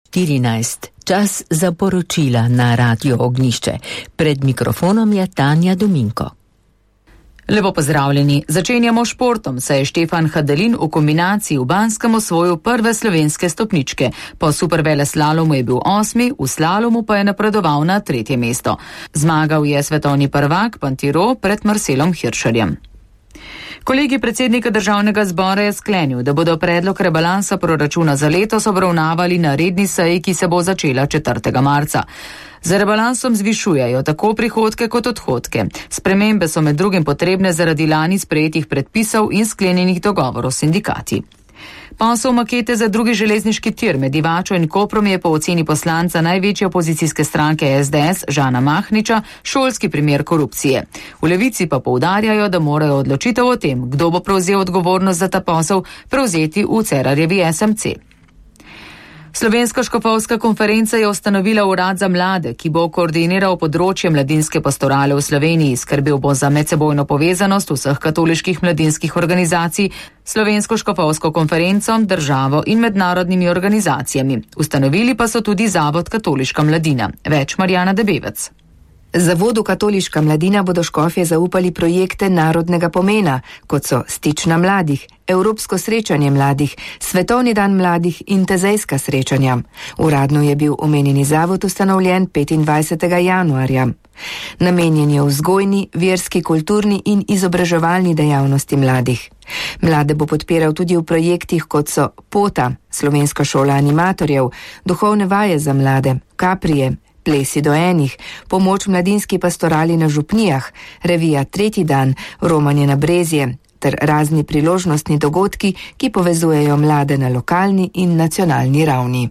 14. Čas za poročila na Radio Ognjišče. Pred mikrofonom je Tanja Dominko. Lepo pozdravljeni. Začenjamo športom, saj je Štefan Hadelin v kombinaciji v Banskem osvojil prve slovenske stopničke. Po superveleslalomu je bil 8., v slalomu pa je napredoval na 3. mesto. Zmagal je svetovni prvak Pantiro pred Marcelom Hiršerjem. Kolegij predsednika Državnega zbora je sklenil, da bodo predlog rebalansa proračuna za letos obravnavali na redni seji, ki se bo začela 4. marca. Z rebalansom zvišujejo tako prihodke kot odhodke. Spremembe so med drugim potrebne zaradi lani sprejetih predpisov in sklenjenih dogovorov s sindikati. Posel makete za drugi železniški tir med Divačo in Koprom je po oceni poslanca največje opozicijske stranke SDS Žana Mahniča šolski primer korupcije. V Levici pa poudarjajo, da morajo odločitev o tem, kdo bo prevzel odgovornost za ta posel, prevzeti v Cerarjevi SMC. Slovenska škofovska konferenca je ustanovila urad za mlade, ki bo koordiniral področje mladinske pastorale v Sloveniji, skrbel bo za medsebojno povezanost vseh katoliških mladinskih organizacij, Slovensko škofovsko konferenco, državo in mednarodnimi organizacijami. Ustanovili pa so tudi Zavod Katoliška mladina. Več Marjana Debevec. Zavodu Katoliška mladina bodo škofje zaupali projekte narodnega pomena, kot so Stična mladih, Evropsko srečanje mladih, Svetovni dan mladih in tezejska srečanja. Uradno je bil omenjeni zavod ustanovljen 25. januarja. Namenjen je vzgojni, verski, kulturni in izobraževalni dejavnosti mladih. Mlade bo podpiral tudi v projektih, kot so Pota, Slovenska šola animatorjev, duhovne vaje za mlade, Kaprije, Plesi do enih, pomoč mladinski pastorali na župnijah, revija Tretji dan, romanje na Brezje ter razni priložnostni dogodki, ki povezujejo mlade na lokalni in nacionalni ravni.